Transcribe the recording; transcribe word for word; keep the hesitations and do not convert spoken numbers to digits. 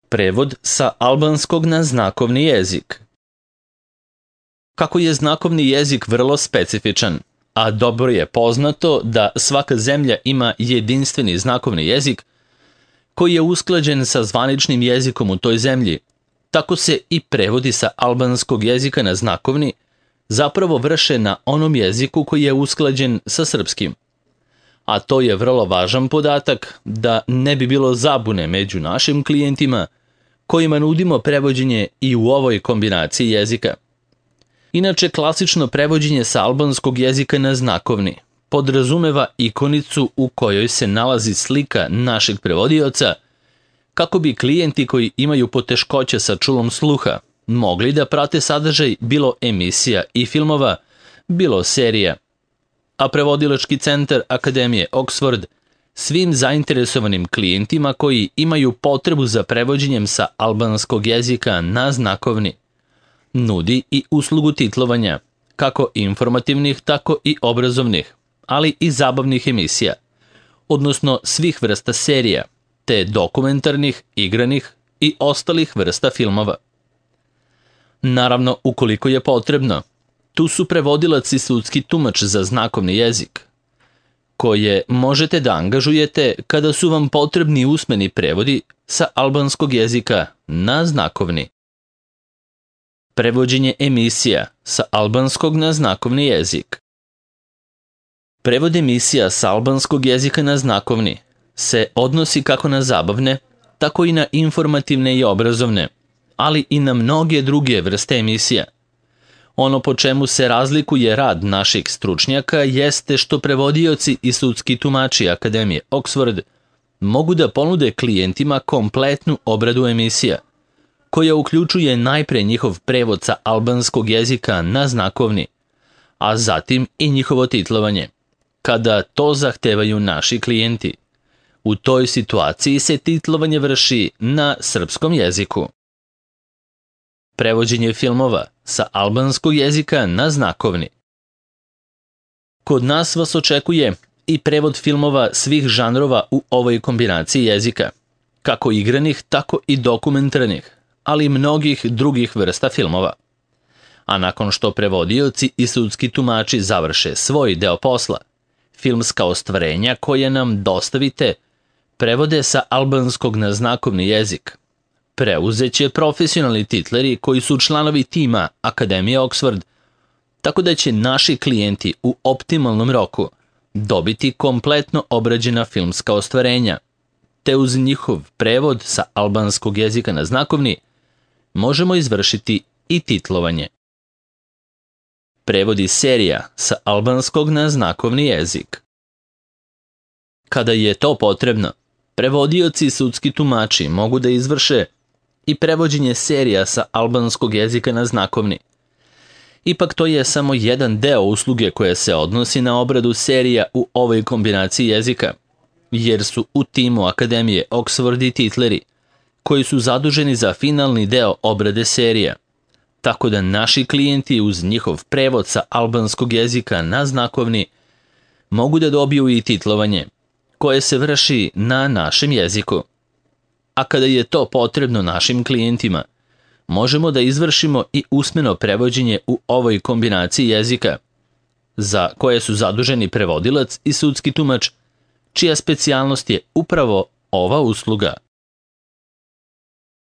Prevod sa albanskog na znakovni jezik. Kako je znakovni jezik vrlo specifičan, a dobro je poznato da svaka zemlja ima jedinstveni znakovni jezik koji je usklađen sa zvaničnim jezikom u toj zemlji, tako se i prevodi sa albanskog jezika na znakovni zapravo vrše na onom jeziku koji je usklađen sa srpskim. A to je vrlo važan podatak da ne bi bilo zabune među našim klijentima kojima nudimo prevođenje i u ovoj kombinaciji jezika. Inače, klasično prevođenje sa albanskog jezika na znakovni podrazumeva ikonicu u kojoj se nalazi slika našeg prevodioca kako bi klijenti koji imaju poteškoće sa čulom sluha mogli da prate sadržaj bilo emisija i filmova, bilo serija. A prevodilački centar Akademije Oxford svim zainteresovanim klijentima koji imaju potrebu za prevođenjem sa albanskog jezika na znakovni nudi i uslugu titlovanja, kako informativnih, tako i obrazovnih, ali i zabavnih emisija, odnosno svih vrsta serija, te dokumentarnih, igranih i ostalih vrsta filmova. Naravno, ukoliko je potrebno, tu su prevodilac i sudski tumač za znakovni jezik, koje možete da angažujete kada su vam potrebni usmeni prevodi sa albanskog jezika na znakovni. Prevođenje emisija sa albanskog na znakovni jezik. Prevod emisija sa albanskog jezika na znakovni se odnosi kako na zabavne, tako i na informativne i obrazovne, ali i na mnoge druge vrste emisija. Ono po čemu se razlikuje rad naših stručnjaka jeste što prevodioci i sudski tumači Akademije Oxford mogu da ponude klijentima kompletnu obradu emisija, koja uključuje najpre njihov prevod sa albanskog jezika na znakovni, a zatim i njihovo titlovanje, kada to zahtevaju naši klijenti. U toj situaciji se titlovanje vrši na srpskom jeziku. Prevođenje filmova sa albanskog jezika na znakovni. Kod nas vas očekuje i prevod filmova svih žanrova u ovoj kombinaciji jezika, kako igranih, tako i dokumentarnih, ali i mnogih drugih vrsta filmova. A nakon što prevodioci i sudski tumači završe svoj deo posla, filmska ostvarenja koje nam dostavite prevode sa albanskog na znakovni jezik. Preuzeće profesionalni titleri koji su članovi tima Akademije Oxford, tako da će naši klijenti u optimalnom roku dobiti kompletno obrađena filmska ostvarenja, te uz njihov prevod sa albanskog jezika na znakovni možemo izvršiti i titlovanje. Prevodi serija sa albanskog na znakovni jezik. Kada je to potrebno, prevodioci i sudski tumači mogu da izvrše i prevođenje serija sa albanskog jezika na znakovni. Ipak to je samo jedan deo usluge koja se odnosi na obradu serija u ovoj kombinaciji jezika, jer su u timu Akademije Oxford i titleri koji su zaduženi za finalni deo obrade serija, tako da naši klijenti uz njihov prevod sa albanskog jezika na znakovni mogu da dobiju i titlovanje, koje se vrši na našem jeziku. A kada je to potrebno našim klijentima, možemo da izvršimo i usmeno prevođenje u ovoj kombinaciji jezika, za koje su zaduženi prevodilac i sudski tumač, čija specijalnost je upravo ova usluga.